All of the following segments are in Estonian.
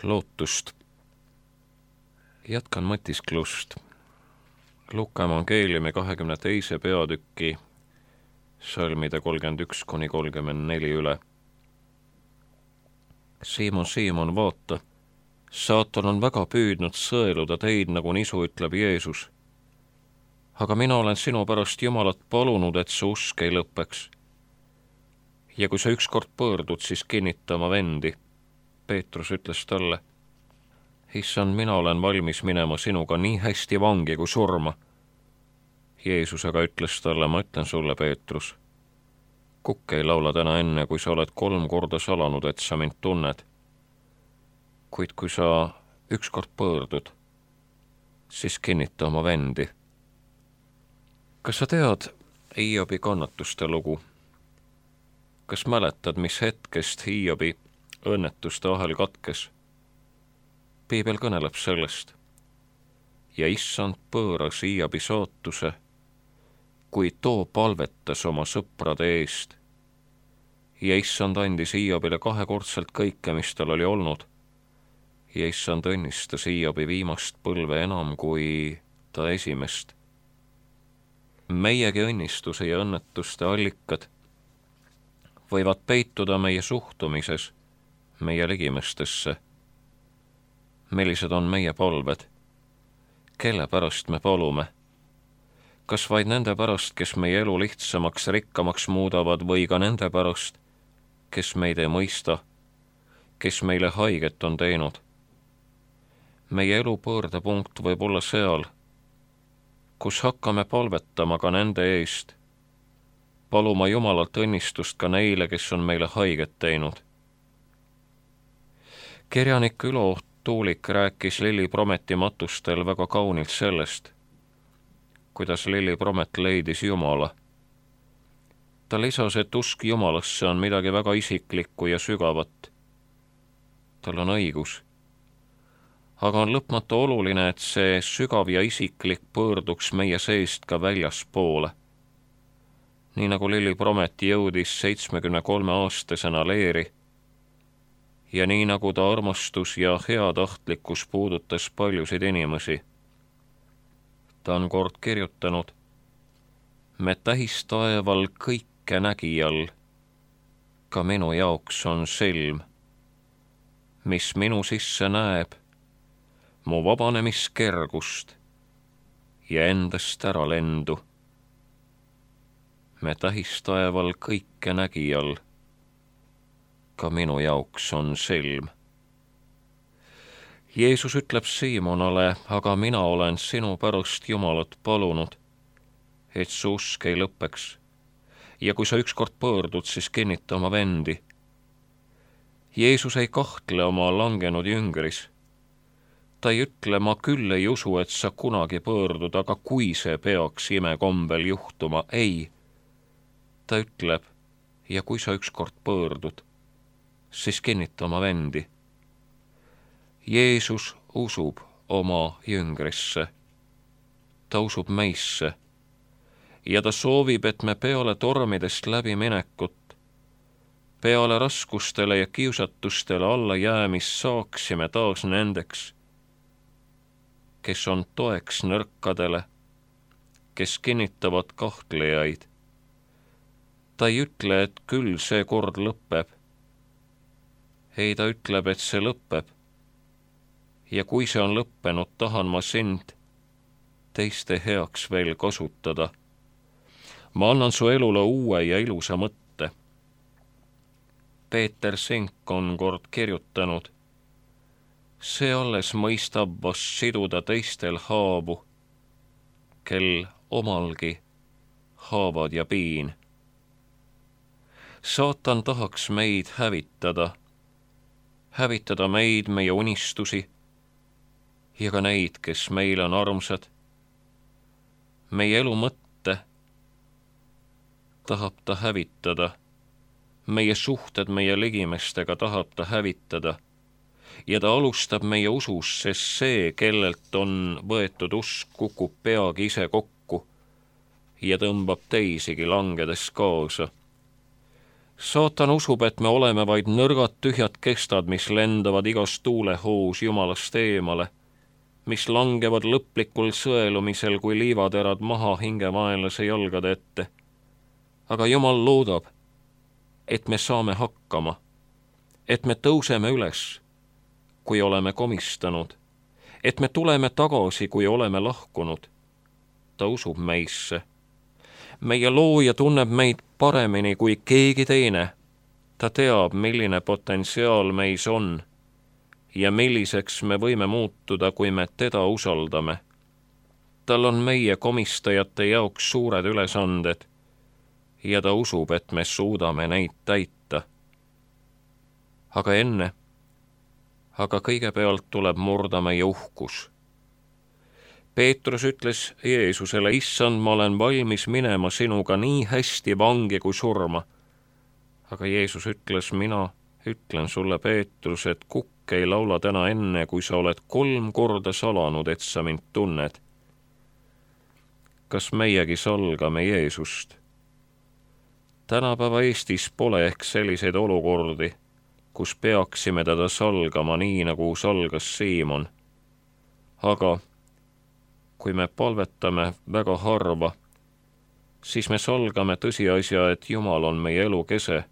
lootust. Jätkan mõtisklust Luka evangeeliumi 22. peatüki salmide 31–34 üle. Siimon, Siimon, vaata, saatan on väga püüdnud sõeluda teid, nagu nisu, ütleb Jeesus. Aga mina olen sinu pärast Jumalat palunud, et su usk ei lõppeks. Ja kui sa ükskord pöördud, siis kinnita oma vendi. Peetrus ütles talle, Issand, mina olen valmis minema sinuga nii hästi vangi kui surma. Jeesus aga ütles talle, ma ütlen sulle, Peetrus, kukk ei laula täna enne, kui sa oled 3 korda salanud, et sa mind tunned. Kuid kui sa ükskord pöördud, siis kinnita oma vendi. Kas sa tead Hiobi kannatuste lugu? Kas mäletad, mis hetkest Hiobi õnnetuste ahel katkes? Piibel kõneleb sellest. Ja issand pööras Hiobi saatuse, kui too palvetas oma sõprade eest. Ja issand andis Hiobile 2-kordselt kõike, mis tal oli olnud. Ja issand õnnistas Hiobi viimast põlve enam kui ta esimest. Meiegi õnnistuse ja õnnetuste allikad võivad peituda meie suhtumises, meie ligimestesse. Millised on meie palved? Kelle pärast me palume? Kas vaid nende pärast, kes meie elu lihtsamaks, rikkamaks muudavad, või ka nende pärast, kes meid ei mõista, kes meile haiget on teinud? Meie elu pöördepunkt võib olla seal, kus hakkame palvetama ka nende eest, paluma Jumalalt õnnistust ka neile, kes on meile haiget teinud. Kirjanik Ülo Tuulik rääkis Lilli Prometi matustel väga kaunilt sellest, kuidas Lilli Promet leidis Jumala. Ta lisas, et usk Jumalasse on midagi väga isiklikku ja sügavat. Tal on õigus. Aga on lõpmatu oluline, et see sügav ja isiklik pöörduks meie seest ka väljaspoole. Nii nagu Lilli Promet jõudis 73-aastasena leeri, ja nii nagu ta armastus ja heatahtlikkus puudutas paljusid inimesi. Ta on kord kirjutanud, me tähistaeval kõike nägijal, ka minu jaoks on silm, mis minu sisse näeb, mu vabanemiskergust ja endast ära lendu. Me tähistaeval kõike nägijal, ka minu jaoks on silm. Jeesus ütleb Siimonale, aga mina olen sinu pärast Jumalat palunud, et su usk ei lõppeks. Ja kui sa ükskord pöördud, siis kinnita oma vendi. Jeesus ei kahtle oma langenud jüngris. Ta ei ütle, ma küll ei usu, et sa kunagi pöördud, aga kui see peaks imekombel juhtuma, ei. Ta ütleb, ja kui sa ükskord pöördud, siis kinnita oma vendi. Jeesus usub oma jüngrisse. Ta usub meisse. Ja ta soovib, et me peale tormidest läbi minekut, peale raskustele ja kiusatustele alla jäämist saaksime taas nendeks, kes on toeks nõrkadele, kes kinnitavad kahtlejaid. Ta ei ütle, et küll see kord lõpeb. Ei, ta ütleb, et see lõpeb. Ja kui see on lõppenud, tahan ma sind teiste heaks veel kasutada. Ma annan su elule uue ja ilusa mõtte. Peeter Sink on kord kirjutanud, see alles mõistab vast siduda teistel haavu, kel omalgi haavad ja piin. Saatan tahaks meid hävitada meid, meie unistusi ja ka neid, kes meile on armsad. Meie elu mõtte tahab ta hävitada, meie suhted meie ligimestega tahab ta hävitada ja ta alustab meie usus, sest see, kellelt on võetud usk, kukub peagi ise kokku ja tõmbab teisigi langedes kaasa. Saatan usub, et me oleme vaid nõrgad tühjad kestad, mis lendavad igas tuulehoos Jumalast eemale, mis langevad lõplikul sõelumisel kui liivaterad maha hingevaenlase jalgade ette. Aga Jumal loodab, et me saame hakkama, et me tõuseme üles, kui oleme komistanud, et me tuleme tagasi, kui oleme lahkunud. Ta usub meisse. Meie looja tunneb meid paremini kui keegi teine. Ta teab, milline potentsiaal meis on ja milliseks me võime muutuda, kui me teda usaldame. Tal on meie komistajate jaoks suured ülesanded ja ta usub, et me suudame neid täita. Aga kõigepealt tuleb murda meie uhkus. Peetrus ütles Jeesusele, issand, ma olen valmis minema sinuga nii hästi vangi kui surma. Aga Jeesus ütles, mina ütlen sulle, Peetrus, et kukk ei laula täna enne, kui sa oled 3 korda salanud, et sa mind tunned. Kas meiegi salgame Jeesust? Tänapäeva Eestis pole ehk selliseid olukordi, kus peaksime teda salgama nii, nagu salgas Siimon. Aga kui me palvetame väga harva, siis me salgame tõsiasja, et Jumal on meie elu kese.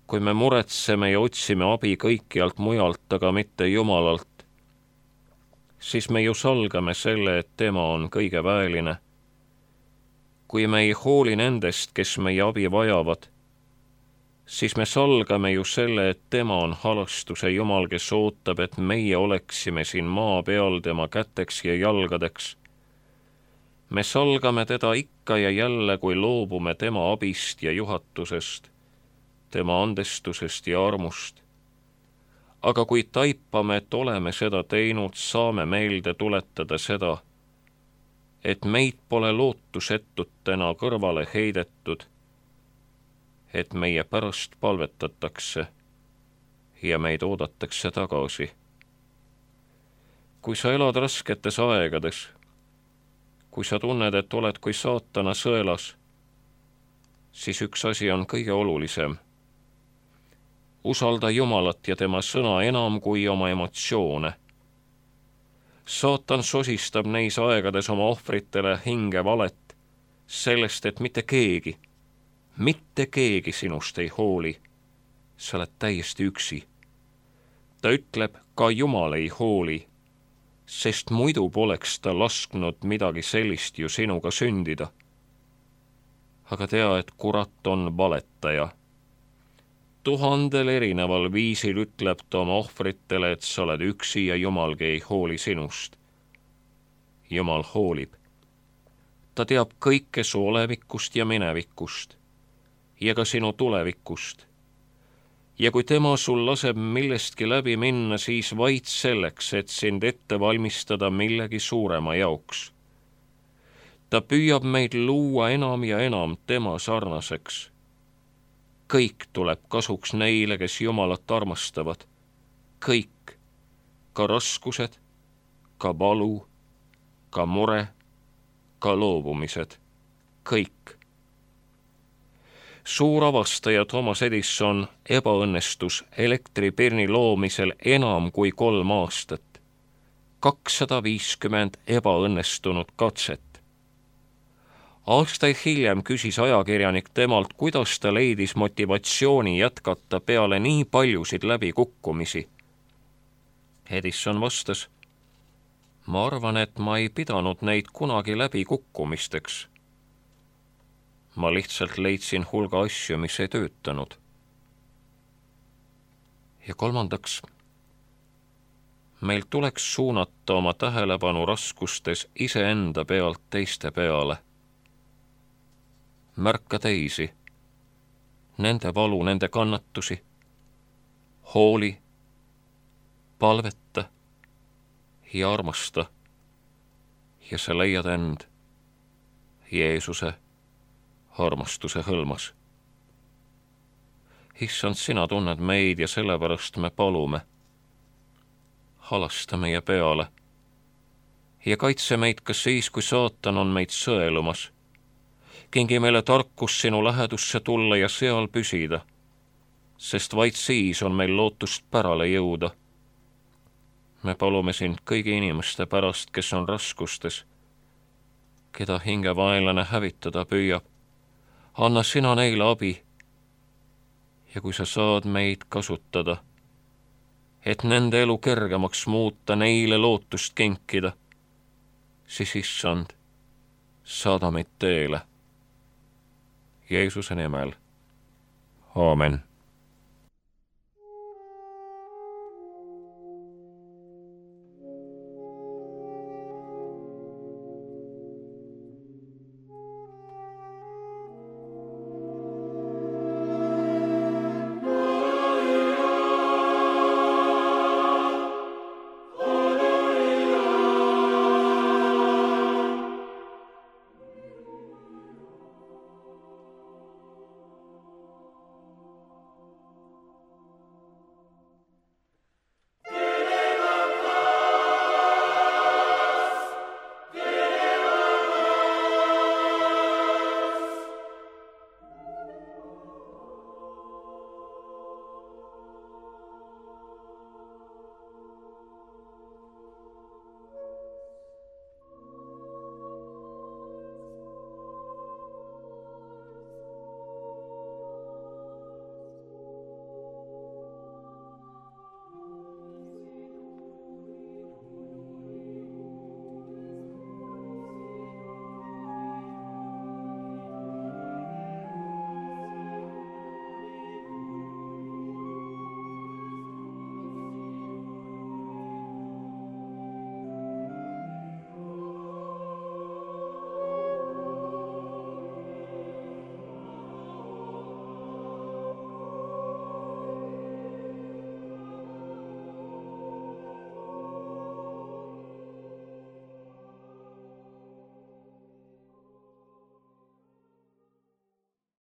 Kui me muretseme ja otsime abi kõikjalt mujalt, aga mitte Jumalalt, siis me ju salgame selle, et tema on kõige väeline. Kui me ei hooli nendest, kes meie abi vajavad, siis me salgame ju selle, et tema on halastuse Jumal, kes ootab, et meie oleksime siin maa peal tema käteks ja jalgadeks. Me salgame teda ikka ja jälle, kui loobume tema abist ja juhatusest, tema andestusest ja armust. Aga kui taipame, et oleme seda teinud, saame meelde tuletada seda, et meid pole lootusetutena kõrvale heidetud, et meie pärast palvetatakse ja meid oodatakse tagasi. Kui sa elad rasketes aegades, kui sa tunned, et oled kui saatana sõelas, siis üks asi on kõige olulisem. Usalda Jumalat ja tema sõna enam kui oma emotsioone. Saatan sosistab neis aegades oma ohvritele hinge valet sellest, et mitte keegi sinust ei hooli. Sa oled täiesti üksi. Ta ütleb, ka Jumal ei hooli, sest muidu poleks ta lasknud midagi sellist ju sinuga sündida. Aga tea, et kurat on valetaja. 1000 erineval viisil ütleb ta oma ohvritele, et sa oled üksi ja Jumalgi ei hooli sinust. Jumal hoolib. Ta teab kõike su olevikust ja minevikust ja ka sinu tulevikust. Ja kui tema sul laseb millestki läbi minna, siis vaid selleks, et sind ette valmistada millegi suurema jaoks. Ta püüab meid luua enam ja enam tema sarnaseks. Kõik tuleb kasuks neile, kes Jumalat armastavad. Kõik, ka raskused, ka valu, ka mure, ka loobumised. Kõik. Suur avastaja Thomas Edison ebaõnnestus elektripirni loomisel enam kui 3 aastat. 250 ebaõnnestunud katset. Aastaid hiljem küsis ajakirjanik temalt, kuidas ta leidis motivatsiooni jätkata peale nii paljusid läbikukkumisi. Edison vastas, ma arvan, et ma ei pidanud neid kunagi läbikukkumisteks. Ma lihtsalt leidsin hulga asju, mis ei töötanud. Ja 3. Meil tuleks suunata oma tähelepanu raskustes iseenda pealt teiste peale. Märka teisi, nende valu, nende kannatusi, hooli, palveta ja armasta ja sa leiad end Jeesuse armastuse hõlmas. Issand, sina tunned meid ja sellepärast me palume. Halasta meie peale ja kaitse meid ka siis, kui saatan on meid sõelumas. kingi meile tarkus sinu lähedusse tulla ja seal püsida, sest vaid siis on meil lootust pärale jõuda. Me palume sind kõigi inimeste pärast, kes on raskustes, keda hingevaenlane hävitada püüab. Anna sina neile abi ja kui sa saad meid kasutada, et nende elu kergemaks muuta, neile lootust kinkida, siis issand, saada meid teele. Jeesuse nimel. Aamen.